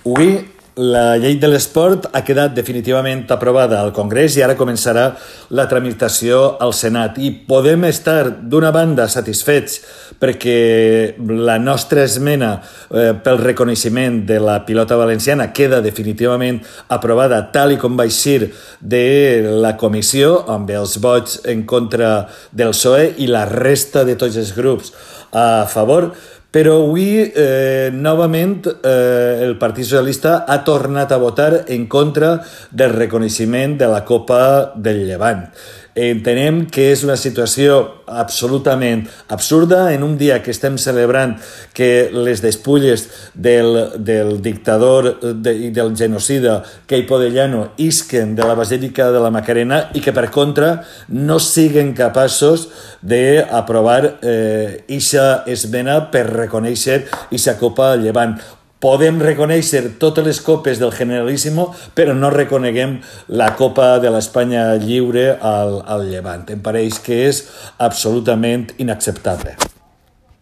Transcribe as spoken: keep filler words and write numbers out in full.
Avui la llei de l'esport ha quedat definitivament aprovada al Congrés i ara començarà la tramitació al Senat. I podem estar, d'una banda, satisfets perquè la nostra esmena eh, pel reconeixement de la pilota valenciana queda definitivament aprovada tal i com va eixir de la comissió, amb els vots en contra del P S O E i la resta de tots els grups a favor. Però avui, eh, novament, eh, el Partit Socialista ha tornat a votar en contra del reconeixement de la Copa del Llevant. Entenem que és una situació absolutament absurda en un dia que estem celebrant que les despulles del, del dictador de, i del genocida Queipo de Llano isquen de la Basílica de la Macarena i que, per contra, no siguen capaços d'aprovar eh, ixa esmena per reconèixer ixa Copa del Llevant. Podem reconèixer totes les copes del Generalíssimo, però no reconeguem la Copa de l'Espanya lliure al, al Llevant. Em pareix que és absolutament inacceptable.